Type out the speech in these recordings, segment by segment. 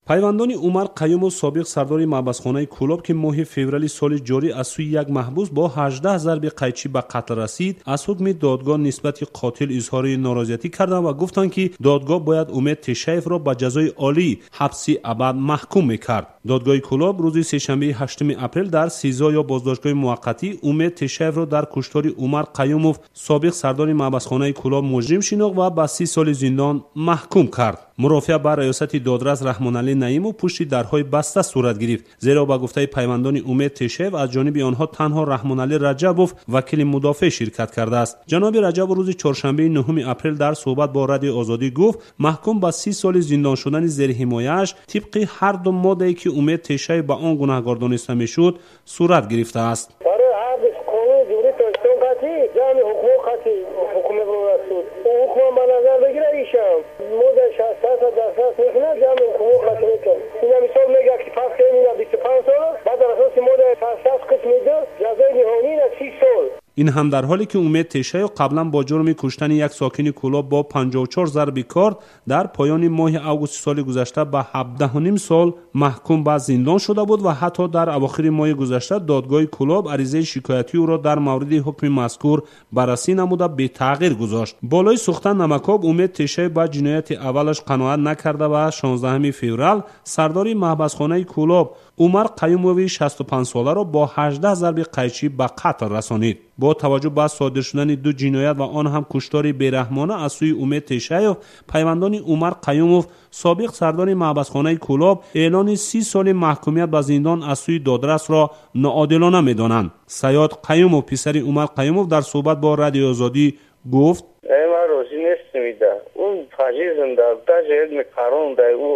Пайвандони Умар Қаюмов, собиқ сардори маҳбасхонаи Кӯлоб, ки моҳи феврали соли ҷорӣ аз сӯи як маҳбус бо 18 зарби қайчӣ ба қатл расид, аз ҳукми додгоҳ нисбати қотил изҳори норозиятӣ карданд ва гуфтанд, ки додгоҳ бояд Умед Тешаевро ба ҷазои олӣ ҳабси абад маҳкум мекард. Додгоҳи Кӯлоб рӯзи сешанбеи 8 апрел дар СИЗО ё боздоштгоҳи муваққатӣ Умед Тешаевро дар куштори Умар Қаюмов, собиқ сардори маҳбасхонаи Кӯлоб, муҷрим шинохт ва ба 30 соли зиндон маҳкум кард. Мурофиа ба раёсати додрас Раҳмоналӣ Наимов пушти дарҳои баста сурат гирифт, зеро ба гуфтаи пайвандони Умед Тешаев аз ҷониби онҳо танҳо Раҳмоналӣ Раҷабов, вакили мудофеъ, ширкат кардааст. Ҷаноби Раҷабов рӯзи чоршанбеи 9 апрел дар суҳбат бо Радиои Озодӣ гуфт, маҳкум ба 30 соли зиндон шудани зерҳимояаш тибқи ҳар ду моддае, ки Умед Тешаев ба он гунаҳгор дониста мешуд, сурат гирифтааст. Барои ҳар ду қонуни Ҷумҳурии Тоҷикистон қатъӣ ҷамъи ҳукмҳо қатъӣ ҳукм мебарорад суд. Ӯ ҳукмам ба назар бигирад, ишам моддаи 67 дастрас мекунад, ҷамъи ҳукмҳо қатъӣ мекунад. Ина мисол мегӯяд, ки фарз кунем ина 25 сола, баъд дар асоси моддаи 67 қисми 2 ҷазои ниҳоӣ ина 30 сол. Ин ҳам дар ҳоле ки Умед Тешаев қаблан бо ҷурми куштани як сокини Кӯлоб бо 54 зарби корд дар поёни моҳи августи соли гузашта ба 17,5 сол маҳкум ба зиндон шуда буд ва ҳатто дар авохири моҳи гузашта додгоҳи Кӯлоб аризаи шикоятии ӯро дар мавриди ҳукми мазкур баррасӣ намуда бетағйир гузошт. Болои сӯхтан намакоб Умед Тешаев ба ҷинояти аввалаш қаноат накарда ва 16 феврал сардори маҳбасхонаи Кӯлоб Умар Қаюмови 65 соларо бо 18 зарби қайчӣ ба қатл расонид. Бо таваҷҷӯҳ ба содир шудани ду ҷиноят ва он ҳам куштори бераҳмона аз сӯи Умед Тешаев, пайвандони Умар Қаюмов, собиқ сардори маҳбасхонаи Кӯлоб, эълони 30 соли маҳкумият ба зиндон аз сӯи додрасро ноодилона медонанд. Саёд Қаюмов, писари Умар Қаюмов, дар суҳбат бо Радиои Озодӣ гуфт: Ман розӣ нестам ида. Ӯ фашизм да, даже як қарон да, ӯ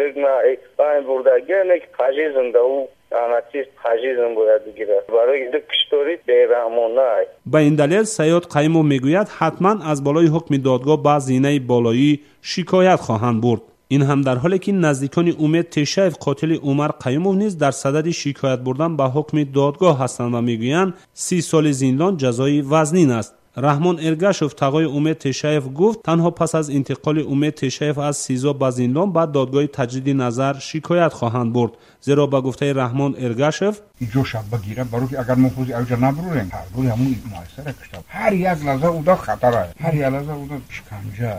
як на байн бурда, не фашизм да, ӯ анатист фашизм бояд бигирад. Барои ду куштори бераҳмона. Ба ин далел Саёд Қаюмов мегӯяд, ҳатман аз болои ҳукми додгоҳ ба зинаи болоӣ шикоят хоҳанд бурд. Ин ҳам дар ҳоле ки наздикони Умед Тешаев, қотили Умар Қаюмов, низ дар садади шикоят бурдан ба ҳукми додгоҳ ҳастанд ва мегӯянд 30 соли зиндон ҷазои вазнин аст. Раҳмон Эргашов, тағои Умед Тешаев, гуфт, танҳо пас аз интиқоли Умед Тешаев аз СИЗО ба зиндон ба додгоҳи таҷдиди назар шикоят хоҳанд бурд, зеро ба гуфтаи Раҳмон Эргашев иҷоша бигирад, барои ки агар мо ҳозир аҷа набурем, ҳар ҳамун муассисара кушта, ҳар як лаҳза уда хатара, ҳар як лаҳза уда шиканҷа.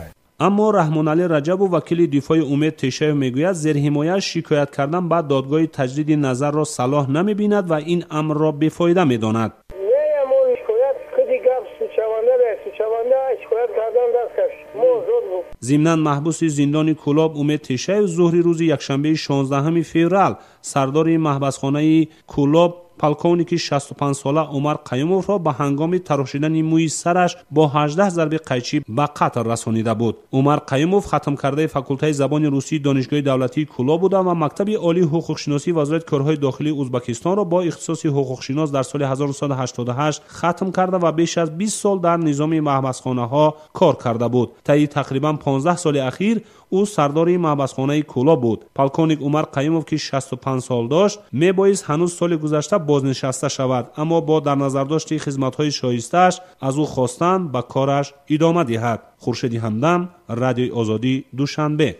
Аммо Раҳмоналӣ Раҷабов, вакили дифои Умед Тешаев, мегӯяд, зерҳимояш шикоят кардан ба додгоҳи таҷдиди назарро салоҳ намебинад ва ин амрро бефоида медонад. Зимнан маҳбуси зиндони Кӯлоб Умед Тешаев зуҳри рӯзи якшанбеи 16 феврал сардори маҳбасхонаи Кӯлоб, полковники 65 сола Умар Қаюмовро ба ҳангоми тарошидани мӯи сараш бо 18 зарби қайчӣ ба қатл расонида буд. Умар Қаюмов хатмкардаи факултаи забони русии Донишгоҳи давлатии Кӯлоб буда ва мактаби олии ҳуқуқшиносии Вазорати корҳои дохилии Узбакистонро бо ихтисоси ҳуқуқшинос дар соли 1988 хатм карда ва беш аз 20 сол дар низоми маҳбасхонаҳо кор карда буд. Таи тақрибан 15 соли ахир ӯ сардори маҳбасхонаи Кӯлоб буд. Полковник Умар Қаюмов, ки 65 сол дошт, мебоист ҳанӯз соли гузашта бознишаста шавад, аммо бо дар назардошти хизматҳои шоистааш аз ӯ хостанд ба кораш идома диҳад. Хуршеди Ҳамдам, Радиои Озодӣ, Душанбе.